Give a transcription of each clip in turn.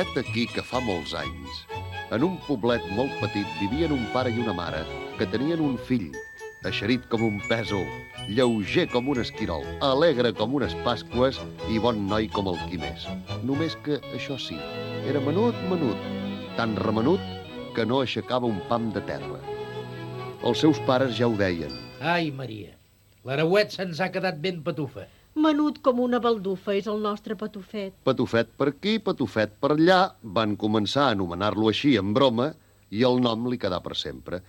Vet aquí que fa molts anys, en un poblet molt petit vivien un pare i una mare que tenien un fill, eixerit com un pèsol, lleuger com un esquirol, alegre com unes pasqües i bon noi com el qui més. Només que, això sí, era menut, tan remenut que no aixecava un pam de terra. Els seus pares ja ho deien. Ai, Maria, l'Arauet se'ns ha quedat ben patufa. Menut com una baldufa és el nostre patufet. Patufet per aquí, patufet per allà, van començar a anomenar-lo així en broma i el nom li quedà per sempre.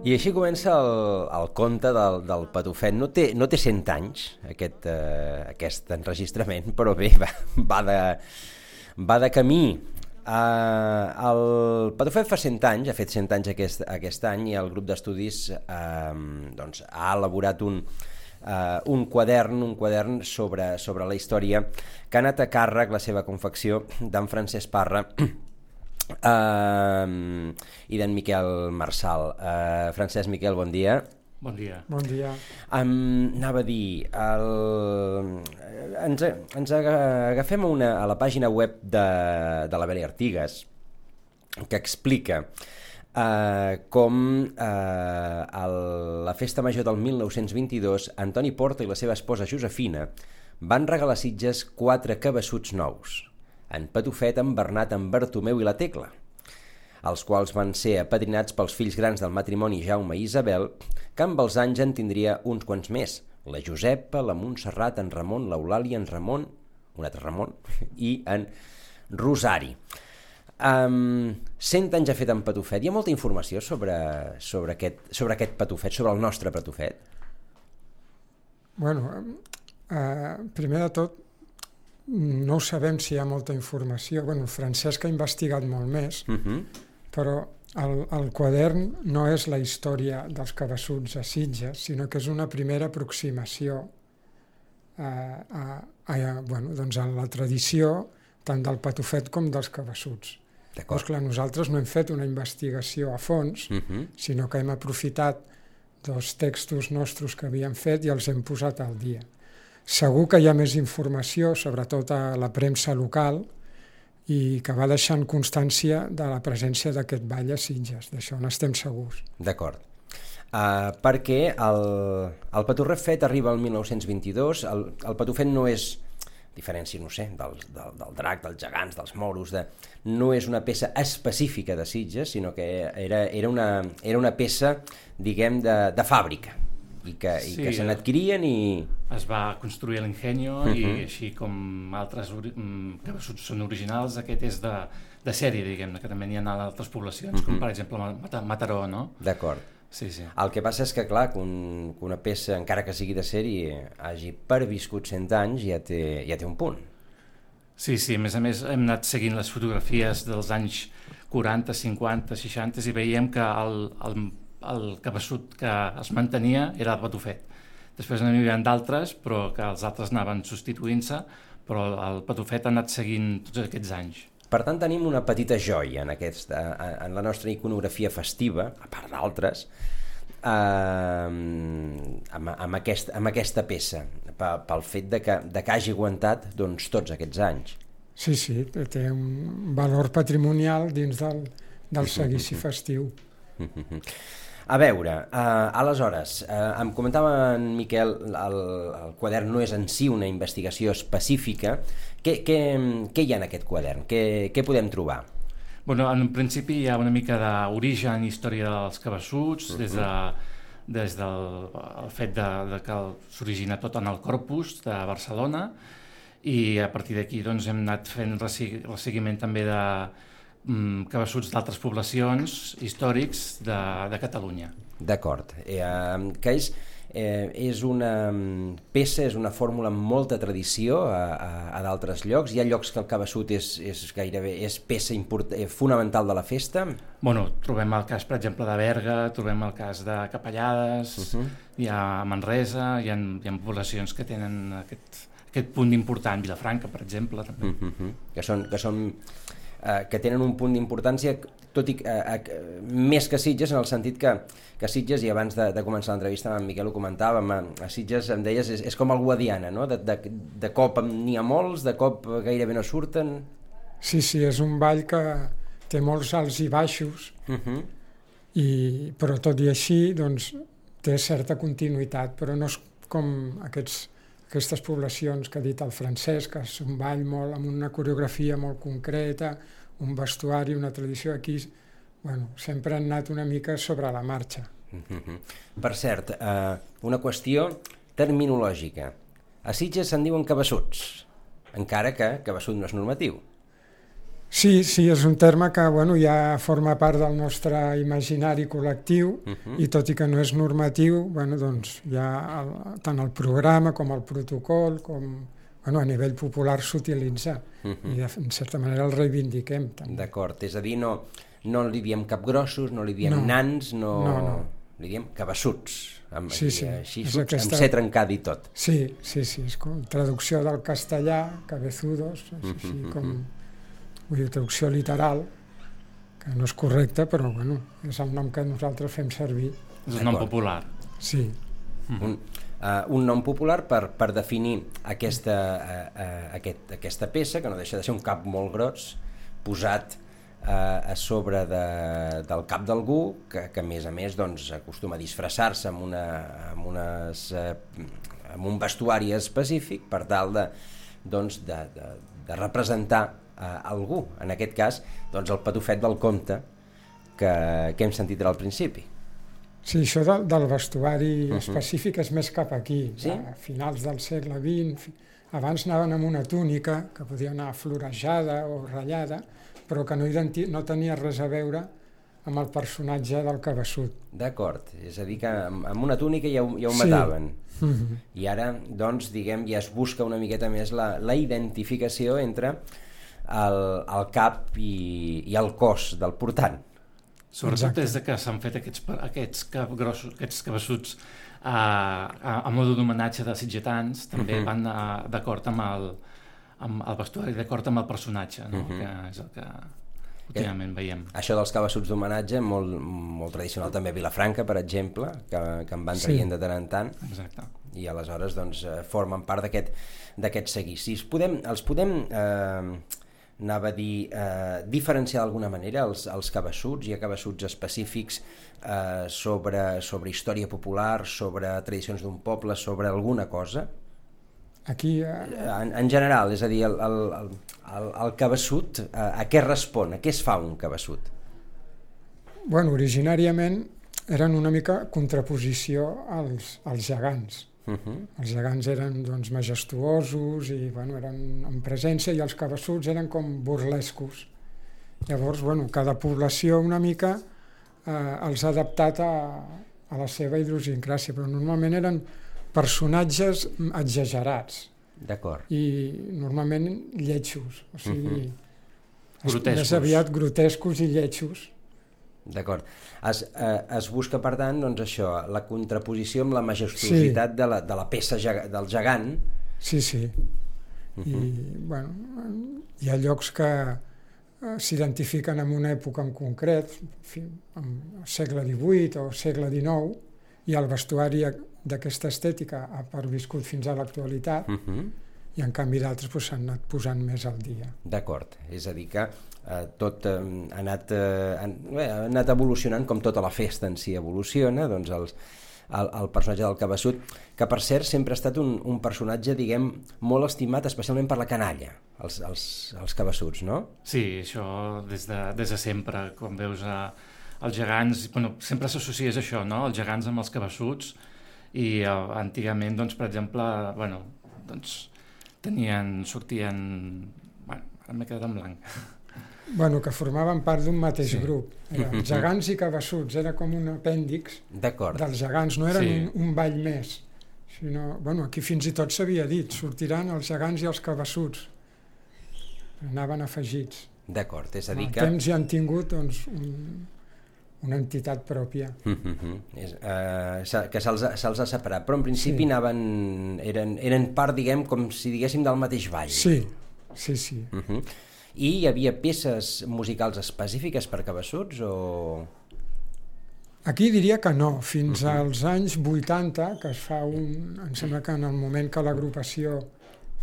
I així comença el conte del patufet. No té 100 anys, aquest enregistrament, però bé, va de camí. El patufet fa 100 anys, ha fet 100 anys aquest any, i el grup d'estudis ha elaborat un quadern sobre la història que ha anat a càrrec, la seva confecció, d'en Francesc Parra i d'en Miquel Marçal. Francesc, Miquel, bon dia. Bon dia. Bon dia. Anava a dir, ens agafem a la pàgina web de la Beli Artigas, que explica com a la festa major del 1922 Antoni Porta i la seva esposa Josefina van regalar a Sitges 4 cabassuts nous, en Patufet, en Bernat, en Bartomeu i la Tecla, els quals van ser apadrinats pels fills grans del matrimoni Jaume i Isabel, que amb els anys en tindria uns quants més, la Josepa, la Montserrat, en Ramon, l'Eulàlia, en Ramon, un altre Ramon, i en Rosari. 100 anys ha fet en Patufet. Hi ha molta informació sobre aquest Patufet, sobre el nostre Patufet? Bueno, primer de tot, no ho sabem si hi ha molta informació. Bueno, Francesc ha investigat molt més, però el quadern no és la història dels cabassuts a Sitges, sinó que és una primera aproximació a la tradició tant del Patufet com dels cabassuts. Doncs clar, nosaltres no hem fet una investigació a fons, sinó que hem aprofitat 2 textos nostres que havíem fet i els hem posat al dia. Segur que hi ha més informació, sobretot a la premsa local, i que va deixant constància de la presència d'aquest ball a Sitges. D'això n'estem segurs. D'acord. Perquè el Patufet arriba al 1922, el Patufet no és, diferència, no sé, del drac, dels gegants, dels moros, no és una peça específica de Sitges, sinó que era una peça, diguem, de fàbrica, i que se n'adquirien i... Es va construir a l'Ingenio i així com altres cabassuts són originals, aquest és de sèrie, diguem-ne, que també n'hi ha a altres poblacions, com per exemple Mataró, no? D'acord. Sí. El que passa és que, clar, que una peça, encara que sigui de sèrie, hagi perviscut 100 anys, ja té un punt. Sí, a més hem anat seguint les fotografies dels anys 40, 50, 60 i veiem que el cabassut que es mantenia era el Patufet. Després n'hi havia d'altres, però que els altres anaven substituint-se, però el Patufet ha anat seguint tots aquests anys. Per tant, tenim una petita joia en la nostra iconografia festiva, a part d'altres, amb aquesta peça, pel fet de que hagi aguantat tots aquests anys. Sí, té un valor patrimonial dins del seguici festiu. A veure, aleshores, em comentava en Miquel, el quadern no és en si una investigació específica. Què hi ha en aquest quadern? Què podem trobar? Bueno, en principi hi ha una mica d'origen i història dels cabassuts, des del fet que s'origina tot en el Corpus de Barcelona, i a partir d'aquí hem anat fent el seguiment també de cabassuts d'altres poblacions històrics de Catalunya. D'acord. Que és una peça, és una fórmula amb molta tradició a d'altres llocs. Hi ha llocs que el cabassut és peça fonamental de la festa? Bueno, trobem el cas, per exemple, de Berga, trobem el cas de Capellades, hi ha Manresa, hi ha poblacions que tenen aquest punt important, Vilafranca, per exemple, també. Que són que tenen un punt d'importància, tot i més que Sitges, en el sentit que Sitges, i abans de començar l'entrevista amb en Miquel ho comentàvem, a Sitges em deies és com el Guadiana, no? De cop n'hi ha molts, de cop gairebé no surten. Sí, és un ball que té molts alts i baixos, però tot i així doncs, té certa continuïtat, però no és com aquestes poblacions que ha dit el Francesc, que és un ball molt, amb una coreografia molt concreta, un vestuari, una tradició. Aquí sempre han anat una mica sobre la marxa. Per cert, una qüestió terminològica. A Sitges se'n diuen cabassuts, encara que cabassut no és normatiu. Sí, és un terme que ja forma part del nostre imaginari col·lectiu, i tot i que no és normatiu, doncs hi ha tant el programa com el protocol, com a nivell popular s'utilitza, i en certa manera el reivindiquem. D'acord, és a dir, no li diem capgrossos, no li diem nans, li diem cabassuts, així amb ser trencat i tot. Sí, és com traducció del castellà, cabezudos, així com... Vull dir, traducció literal, que no és correcta, però és el nom que nosaltres fem servir. És un nom popular. Sí. Un nom popular per definir aquesta peça, que no deixa de ser un cap molt gros, posat a sobre del cap d'algú, que a més acostuma a disfressar-se amb un vestuari específic per tal de representar algú, en aquest cas el patufet del conte que hem sentit al principi. Sí, això del vestuari específic és més cap aquí, a finals del segle XX. Abans anaven amb una túnica que podia anar florejada o ratllada, però que no tenia res a veure amb el personatge del cabassut. D'acord, és a dir que amb una túnica ja ho mataven. I ara, diguem, ja es busca una miqueta més la identificació entre el cap i el cos del portant. Sobretot des que s'han fet aquests cabassuts a mode d'homenatge de sitgetans, també van d'acord amb el vestuari, d'acord amb el personatge, que és el que últimament veiem. Això dels cabassuts d'homenatge, molt tradicional també a Vilafranca, per exemple, que en van traient de tant en tant. Exacte. I aleshores formen part d'aquests seguicis. Els podem anava a dir, diferenciar d'alguna manera els cabassuts? Hi ha cabassuts específics sobre història popular, sobre tradicions d'un poble, sobre alguna cosa? Aquí... En general, és a dir, el cabassut, a què respon? A què es fa un cabassut? Originàriament eren una mica contraposició als gegants. Els gegants eren majestuosos i eren en presència, i els cabassuts eren com burlescos. Llavors, cada població una mica els ha adaptat a la seva idiosincràsia, però normalment eren personatges exagerats. D'acord. I normalment lletjos, o sigui, grotescos. Més aviat grotescos i lletjos. D'acord. Es busca, per tant, això, la contraposició amb la majestuositat de la peça del gegant. Sí. I, hi ha llocs que s'identifiquen amb una època en concret, el segle XVIII o segle XIX, i el vestuari d'aquesta estètica ha perviscut fins a l'actualitat, i en canvi d'altres s'han anat posant més al dia. D'acord, és a dir que tot ha anat evolucionant, com tota la festa en si evoluciona, doncs el personatge del cabassut, que per cert sempre ha estat un personatge, diguem, molt estimat, especialment per la canalla, els cabassuts, no? Sí, això des de sempre, quan veus els gegants, sempre s'associes això, no? Els gegants amb els cabassuts, i antigament, per exemple, sortien... ara m'he quedat en blanc. Que formaven part d'un mateix grup. Gegants i cabassuts, era com un apèndix dels gegants, no eren un ball més, sinó, aquí fins i tot s'havia dit, sortiran els gegants i els cabassuts, anaven afegits. D'acord, és a dir que... Amb temps ja han tingut una entitat pròpia. Que se'ls ha separat, però en principi eren part, diguem, com si diguéssim, del mateix ball. Sí. I hi havia peces musicals específiques per cabeçuts o...? Aquí diria que no, fins als anys 80, que es fa em sembla que en el moment que l'agrupació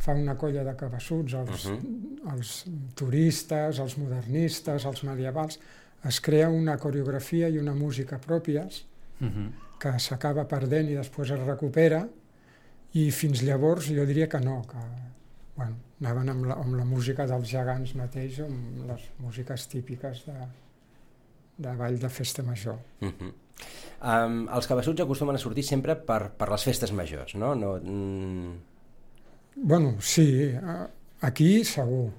fa una colla de cabeçuts, els turistes, els modernistes, els medievals, es crea una coreografia i una música pròpies que s'acaba perdent i després es recupera, i fins llavors jo diria que no, que anaven amb la música dels gegants mateix, amb les músiques típiques de ball de festa major. Els cabeçuts acostumen a sortir sempre per les festes majors, no? Bueno, sí, aquí segur.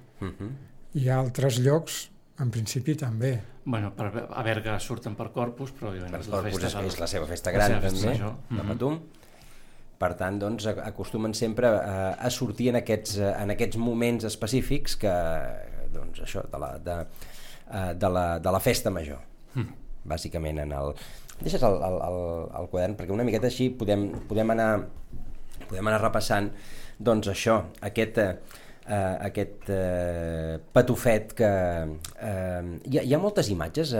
I a altres llocs, en principi, també. Bueno, a Berga surten per Corpus, però per Corpus és la seva festa gran, també, de Patum. Per tant, doncs, acostumen sempre a sortir en aquests moments específics que, doncs, això, de la festa major, bàsicament. Deixes el quadern, perquè una miqueta així podem anar repassant, doncs, això, aquest patufet que... Hi ha moltes imatges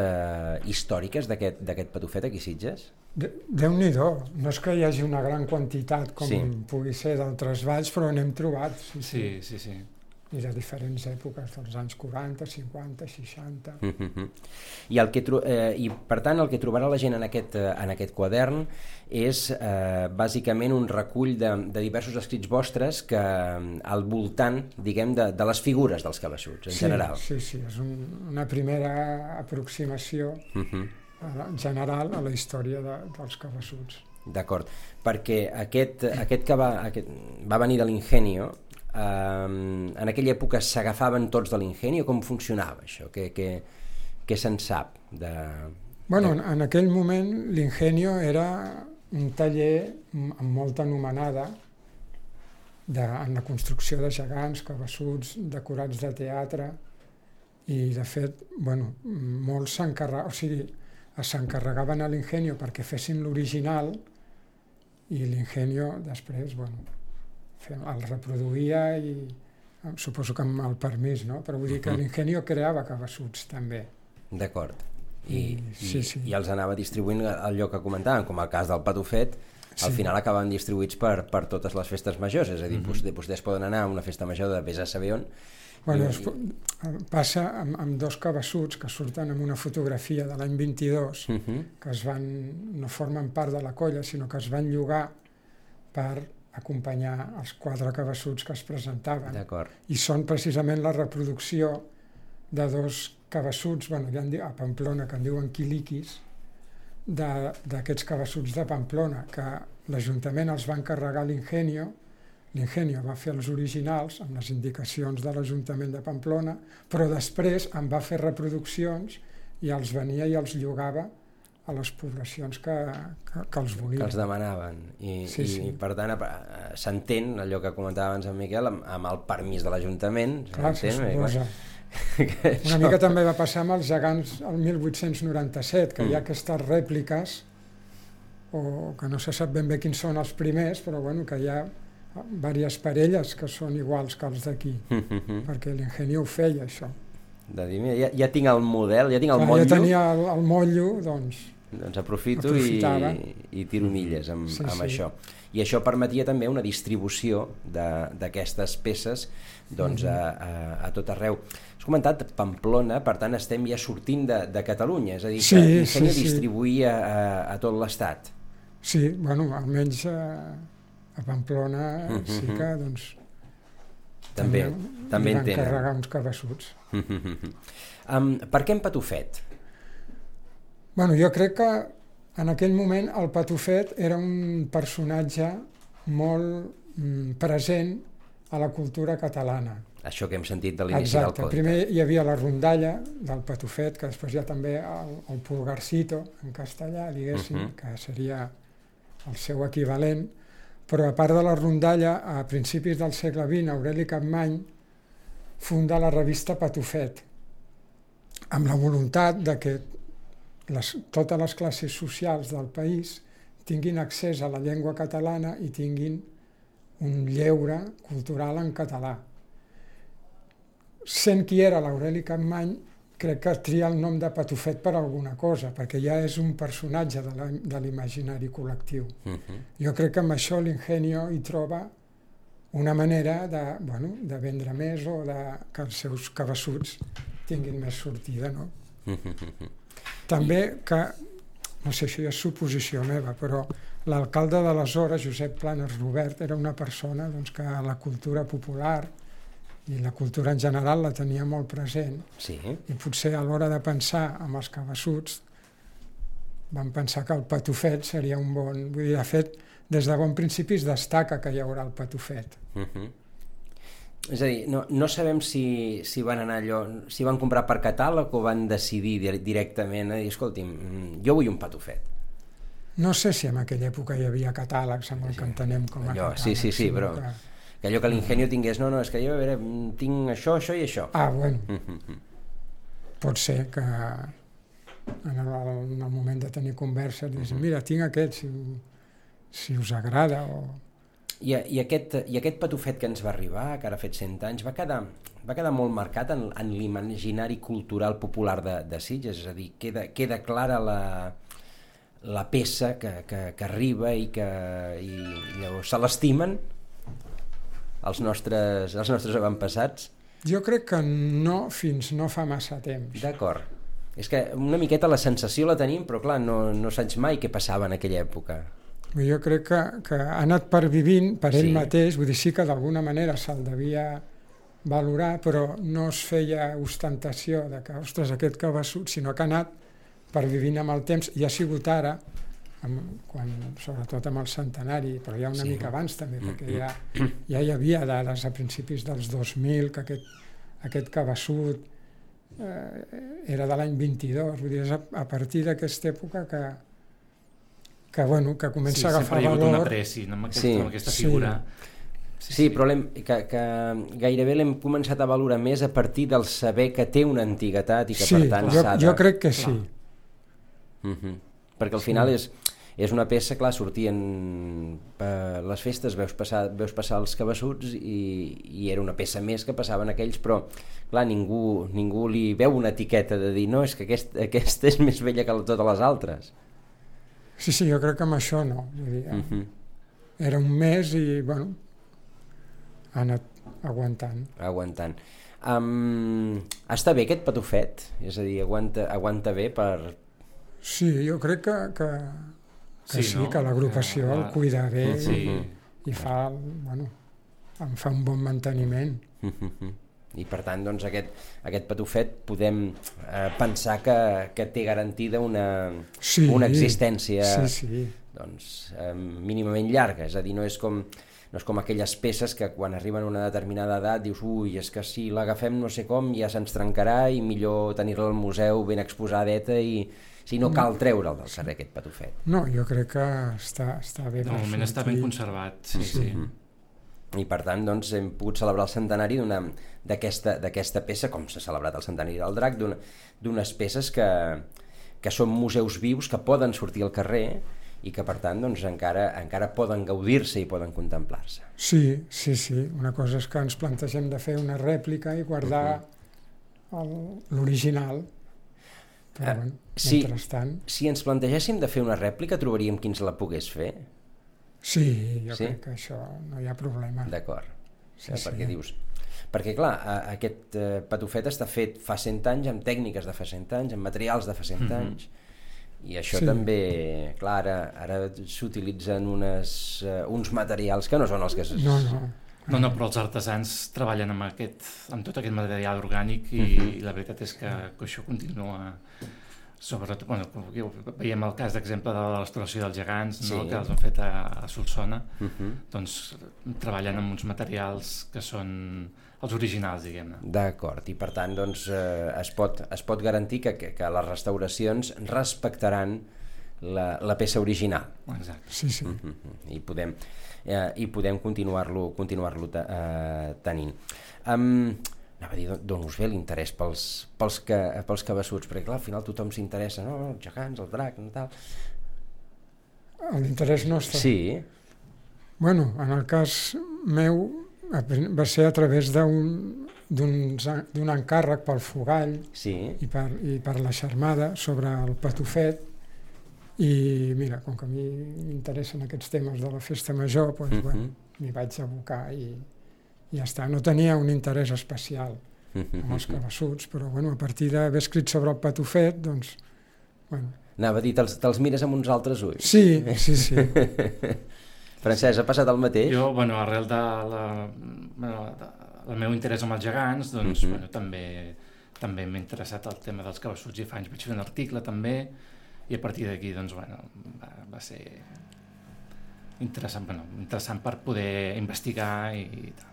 històriques d'aquest patufet aquí a Sitges? Déu-n'hi-do, no és que hi hagi una gran quantitat com pugui ser d'altres valls, però n'hem trobat. Sí. I de diferents èpoques, dels anys 40, 50, 60... I per tant el que trobarà la gent en aquest quadern és bàsicament un recull de diversos escrits vostres que al voltant, diguem, de les figures dels cabeçuts, en general. Sí, és una primera aproximació general a la història dels cabeçuts. D'acord, perquè aquest que va venir de l'Ingenio, en aquella època s'agafaven tots de l'Ingenio? Com funcionava això? Què se'n sap? Bueno, en aquell moment l'Ingenio era un taller amb molta anomenada en la construcció de gegants, cabeçuts, decorats de teatre, i de fet, molts s'encarregaven a l'Ingenio perquè fessin l'original, i l'Ingenio després, el reproduïa, i suposo que amb el permís, no? Però vull dir que l'Ingenio creava cabeçuts també. D'acord. I els anava distribuint allò que comentàvem, com el cas del patufet, al final acaben distribuïts per totes les festes majors, és a dir, vostès poden anar a una festa major de vés a saber on. Passa amb dos cabeçuts que surten en una fotografia de l'any 22, que no formen part de la colla, sinó que es van llogar per acompanyar els 4 cabeçuts que es presentaven. I són precisament la reproducció de 2 cabeçuts, a Pamplona, que en diuen quiliquis, d'aquests cabeçuts de Pamplona, que l'Ajuntament els va encarregar a l'Ingenio va fer els originals amb les indicacions de l'Ajuntament de Pamplona, però després en va fer reproduccions i els venia i els llogava a les poblacions que els volien. Que els demanaven. I per tant, s'entén allò que comentava abans en Miquel, amb el permís de l'Ajuntament. Clar, se suposa. Una mica també va passar amb els gegants el 1897, que hi ha aquestes rèpliques, o que no se sap ben bé quins són els primers, però que hi ha diverses parelles que són iguals que els d'aquí, perquè l'Ingenio ho feia, això. De dir, ja tinc el model, ja tinc el motllo. Ja tenia el motllo, doncs aprofito i tiro milles amb això. I això permetia també una distribució d'aquestes peces a tot arreu. Has comentat Pamplona, per tant estem ja sortint de Catalunya, és a dir, que l'Ingenio distribuïa a tot l'Estat. Sí, almenys a Pamplona sí que també van carregar uns cabeçuts. Per què en patufet? Jo crec que en aquell moment el patufet era un personatge molt present a la cultura catalana. Això que hem sentit de l'inici del conte. Exacte, primer hi havia la rondalla del patufet, que després hi ha també el pulgarcito en castellà, diguéssim, que seria el seu equivalent, però a part de la rondalla, a principis del segle XX, Aureli Capmany funda la revista Patufet, amb la voluntat de que totes les classes socials del país tinguin accés a la llengua catalana i tinguin un lleure cultural en català. sent qui era l'Aureli Capmany, crec que tria el nom de Patufet per alguna cosa, perquè ja és un personatge de l'imaginari col·lectiu. Jo crec que amb això l'Ingenio hi troba una manera de vendre més o que els seus cabassuts tinguin més sortida, no? També que, no sé si és suposició meva, però l'alcalde d'aleshores, Josep Planes Robert, era una persona que la cultura popular i la cultura en general la tenia molt present. Sí. I potser a l'hora de pensar amb els cabassuts van pensar que el Patufet seria un bon... Vull dir, de fet, des de bon principi es destaca que hi haurà el Patufet. És a dir, no sabem si van anar allò, si van comprar per catàleg o van decidir directament a dir, escolti'm, jo vull un Patufet. No sé si en aquella època hi havia catàlegs amb el que entenem com a allò, catàlegs. Sí, però que allò que l'Ingenio tingués, no, és que jo tinc això i això. Ah, bueno. Pot ser que en el moment de tenir conversa diguis, mira, tinc aquest, si us agrada o... I aquest Patufet que ens va arribar, que ara ha fet 100 anys, va quedar molt marcat en l'imaginari cultural popular de Sitges, és a dir, queda clara la peça que arriba i llavors se l'estimen els nostres avantpassats. Jo crec que no fins no fa massa temps. D'acord. És que una miqueta la sensació la tenim, però clar, no saps mai què passava en aquella època. Jo crec que ha anat pervivint per ell mateix, vull dir, sí que d'alguna manera se'l devia valorar, però no es feia ostentació de que, ostres, aquest cabeçut, sinó que ha anat pervivint amb el temps, i ha sigut ara, sobretot amb el centenari, però ja una mica abans també, perquè ja hi havia dades a principis dels 2000 que aquest cabeçut era de l'any 22, vull dir, és a partir d'aquesta època que comença a agafar valor. Sempre hi ha hagut una pressi amb aquesta figura. Sí, però que gairebé l'hem començat a valorar més a partir del saber que té una antiguitat i que per tant s'ha de... Jo crec que sí. Perquè al final és una peça, clar, sortien les festes, veus passar els cabassuts i era una peça més que passaven aquells, però clar, ningú li veu una etiqueta de dir no, és que aquesta és més vella que totes les altres. Sí, jo crec que amb això no. Vull dir, era un mes i, bueno, ha anat aguantant. Està bé aquest Patufet? És a dir, aguanta bé per... Sí, jo crec que sí, que l'agrupació el cuida bé i fa un bon manteniment. I per tant, doncs, aquest Patufet podem pensar que té garantida una existència doncs, mínimament llarga, és a dir, no és com aquelles peces que quan arriben a una determinada edat dius, és que si l'agafem no sé com ja se'ns trencarà i millor tenir-la al museu ben exposadeta i si no cal treure'l del carrer aquest Patufet. No, jo crec que està bé. De moment està ben conservat, sí. I per tant doncs, hem pogut celebrar el centenari d'aquesta peça, com s'ha celebrat el centenari del Drac, d'unes peces que són museus vius que poden sortir al carrer i que per tant doncs, encara poden gaudir-se i poden contemplar-se. Sí. Una cosa és que ens plantegem de fer una rèplica i guardar l'original. Però mentrestant... Si ens plantegéssim de fer una rèplica, trobaríem qui ens la pogués fer? Sí, jo crec que això no hi ha problema. D'acord. Perquè dius... Perquè, clar, aquest Patufet està fet fa 100 anys, amb tècniques de fa 100 anys, amb materials de fa 100 anys, i això també, clar, ara s'utilitzen uns materials que no són els que... No, però els artesans treballen amb tot aquest material orgànic i la veritat és que això continua... Sobretot, veiem el cas d'exemple de la restauració dels gegants, que els han fet a Solsona, doncs treballen amb uns materials que són els originals, diguem-ne. D'acord, i per tant doncs, es pot garantir que les restauracions respectaran la peça original. Exacte. Sí. I podem continuar-lo tenint. Anava a dir d'on us ve l'interès pels cabassuts, perquè clar, al final tothom s'interessa, no? Els gegants, el drac, no tal... L'interès nostre? Sí. Bueno, en el cas meu va ser a través d'un d'un encàrrec pel fogall Sí. i per la xarmada sobre el patufet, i mira, com que a mi m'interessen aquests temes de la festa major, doncs, bueno, m'hi vaig abocar i ja està. No tenia un interès especial amb els cabassuts, però bueno, a partir d'haver escrit sobre el patufet, doncs, bueno... Anava a dir, te'ls mires amb uns altres ulls. Sí. Francesc, ha passat el mateix? Jo, bueno, arrel de el meu interès amb els gegants, doncs, bueno, també m'ha interessat el tema dels cabassuts i fa anys vaig fer un article també, i a partir d'aquí, doncs, bueno, va ser interessant per poder investigar i tal.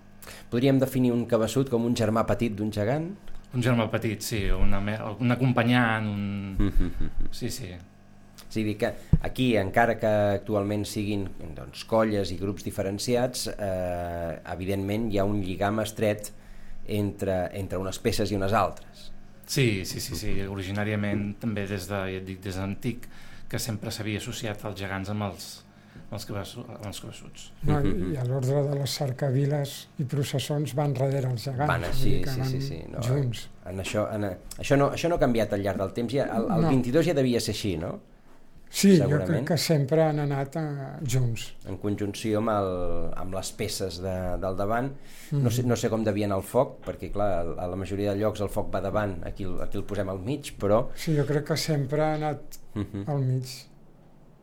Podríem definir un cabassut com un germà petit d'un gegant? Un germà petit, sí, un acompanyant, sí. És a dir, que aquí, encara que actualment siguin doncs, colles i grups diferenciats, evidentment hi ha un lligam estret entre unes peces i unes altres. Sí, originàriament també des d'antic que sempre s'havia associat els gegants amb els cabassuts. No, i a l'ordre de les cercaviles i processons van darrere els gegants. Van així, sí. No, junts. Això no ha canviat al llarg del temps, el 22 ja devia ser així, no? Sí, jo crec que sempre han anat junts. En conjunció amb les peces del davant. No sé com devia anar el foc, perquè clar, a la majoria de llocs el foc va davant, aquí el posem al mig, però... Sí, jo crec que sempre ha anat al mig.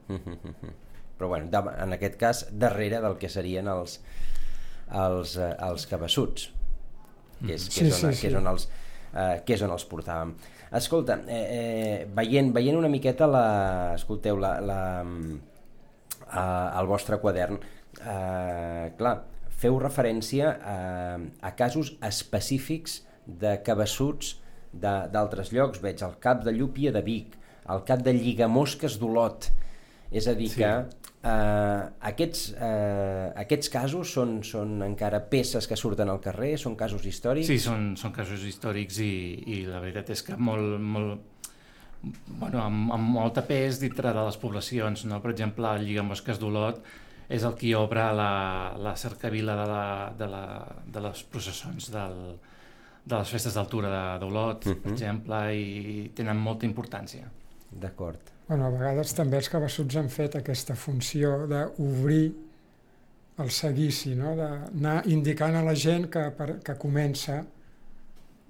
Però bueno, en aquest cas, darrere del que serien els cabassuts, que és on els portàvem. Escolta, veient una miqueta el vostre quadern, clar, feu referència a casos específics de cabassuts d'altres llocs. Veig el cap de llúpia de Vic, el cap de lligamosques d'Olot. És a dir, que aquests casos són encara peces que surten al carrer, són casos històrics? Sí, són casos històrics i la veritat és que amb molta pes dintre de les poblacions, no? Per exemple, el lligamosques d'Olot és el qui obre la cercavila de les processons de les festes d'altura d'Olot, per exemple, i tenen molta importància. D'acord. Bueno, a vegades també els cabassuts han fet aquesta funció d'obrir el seguici, no? D'anar indicant a la gent que comença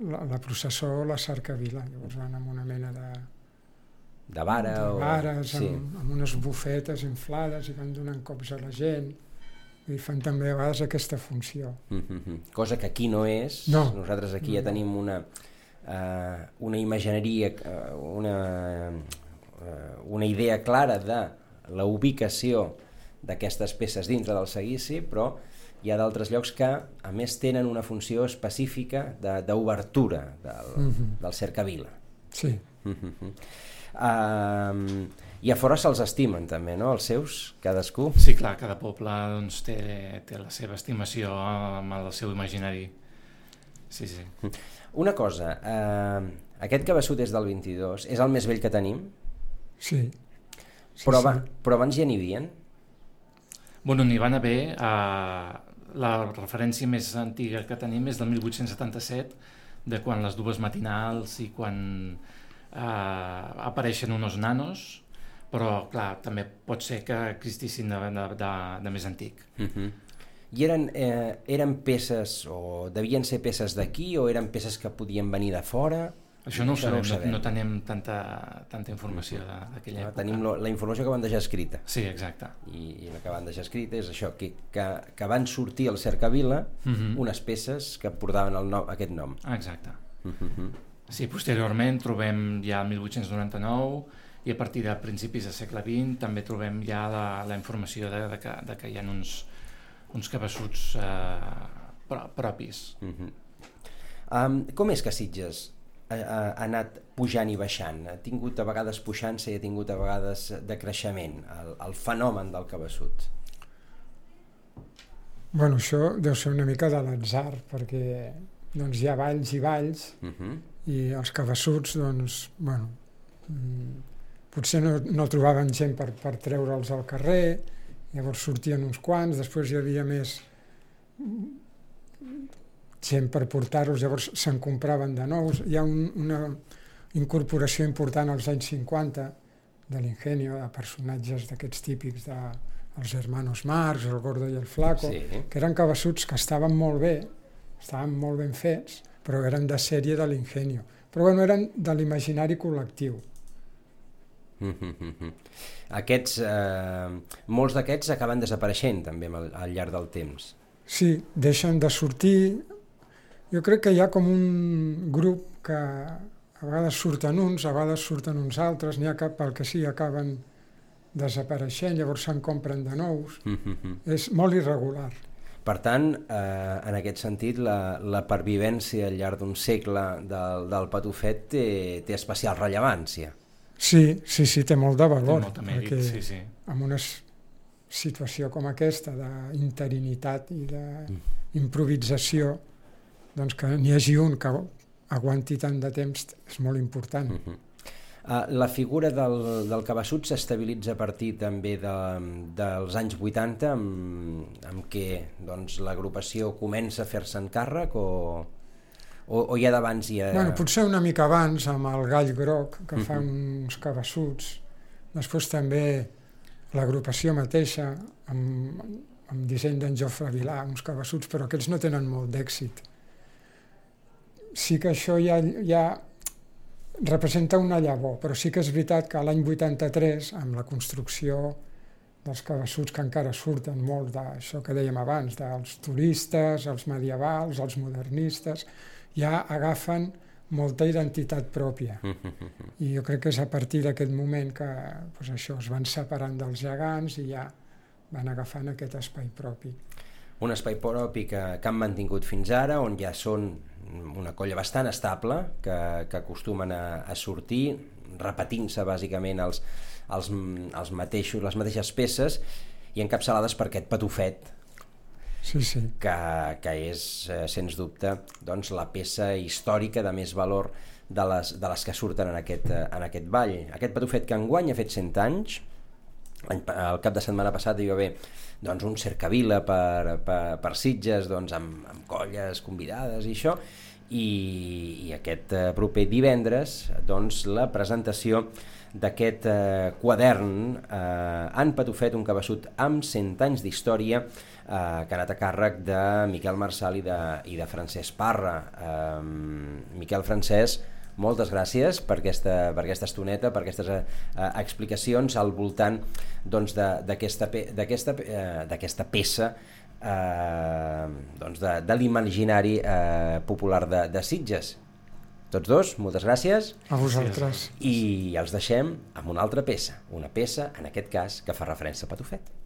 la processó o la cercavila. Llavors van amb una mena de vares, amb unes bufetes inflades i van donant cops a la gent. I fan també a vegades aquesta funció. Cosa que aquí no és. No. Nosaltres aquí ja tenim una imagineria, una idea clara de la ubicació d'aquestes peces dintre del seguici, però hi ha d'altres llocs que a més tenen una funció específica d'obertura del cercavila. Sí. I a fora se'ls estimen també, no? Els seus, cadascú? Sí, clar, cada poble doncs, té la seva estimació amb el seu imaginari. Sí. Una cosa, aquest cabassut és del 22, és el més vell que tenim? Sí. Però abans ja n'hi havia? Bueno, n'hi van haver, la referència més antiga que tenim és del 1877, de quan les dues matinals i quan apareixen unos nanos, però clar, també pot ser que existissin de més antic. I eren peces, o devien ser peces d'aquí, o eren peces que podien venir de fora? Això no ho sabem, no tenim tanta informació d'aquella època. Tenim la informació que van deixar escrita. Sí, exacte. I la que van deixar escrita és això, que van sortir al cercavila unes peces que portaven aquest nom. Exacte. Sí, posteriorment trobem ja el 1899 i a partir de principis del segle XX també trobem ja la informació de que hi ha uns cabassuts propis. Com és que Sitges ha anat pujant i baixant? Ha tingut a vegades puixança i ha tingut a vegades decreixement, el fenomen del cabassut? Bueno, això deu ser una mica de l'atzar, perquè doncs, hi ha valls i valls, i els cabassuts, doncs, bueno, potser no trobaven gent per treure'ls al carrer, llavors sortien uns quants, després hi havia més gent per portar-los, llavors se'n compraven de nous. Hi ha una incorporació important als anys 50 de l'Ingenio, de personatges d'aquests típics dels hermanos Marx, el Gordo i el Flaco, que eren cabeçuts que estaven molt bé, estaven molt ben fets, però eren de sèrie de l'Ingenio. Però bueno, eren de l'imaginari col·lectiu. Molts d'aquests acaben desapareixent també al llarg del temps. Sí, deixen de sortir. Jo crec que hi ha com un grup que a vegades surten uns, a vegades surten uns altres, n'hi ha que pel que sí acaben desapareixent, llavors se'n compren de nous. És molt irregular. Per tant, en aquest sentit, la pervivència al llarg d'un segle del Patufet té especial rellevància. Sí, té molt de valor. Té molt de mèrit, sí. En una situació com aquesta d'interinitat i d'improvisació, doncs que n'hi hagi un que aguanti tant de temps és molt important. La figura del cabeçut s'estabilitza a partir també dels anys 80, amb què doncs, l'agrupació comença a fer-se càrrec o ja d'abans hi ha... Bueno, potser una mica abans amb el Gall Groc, que fa uns cabeçuts. Després també l'agrupació mateixa, amb disseny d'en Jofre Vilà, uns cabeçuts, però aquests no tenen molt d'èxit. Sí que això ja representa una llavor, però sí que és veritat que l'any 83, amb la construcció dels cabeçuts que encara surten molt d'això que dèiem abans, dels turistes, els medievals, els modernistes, ja agafen molta identitat pròpia. I jo crec que és a partir d'aquest moment que doncs això, es van separant dels gegants i ja van agafant aquest espai propi. Un espai propi que han mantingut fins ara, on ja són una colla bastant estable, que acostumen a sortir, repetint-se bàsicament les mateixes peces i encapçalades per aquest Patufet, que és, sens dubte, doncs, la peça històrica de més valor de les que surten en aquest ball. Aquest Patufet que enguany ha fet 100 anys, el cap de setmana passat hi va haver doncs, un cercavila per Sitges, doncs, amb colles convidades i això, i aquest proper divendres doncs, la presentació d'aquest quadern en Patufet, un cabeçut amb 100 anys d'història, que ha anat a càrrec de Miquel Marçal i de Francesc Parra. Miquel, Francesc, moltes gràcies per aquesta estoneta, per aquestes explicacions al voltant doncs, d'aquesta peça doncs, de l'imaginari popular de Sitges. Tots dos, moltes gràcies. A vosaltres. I els deixem amb una altra peça, una peça, en aquest cas, que fa referència a Patufet.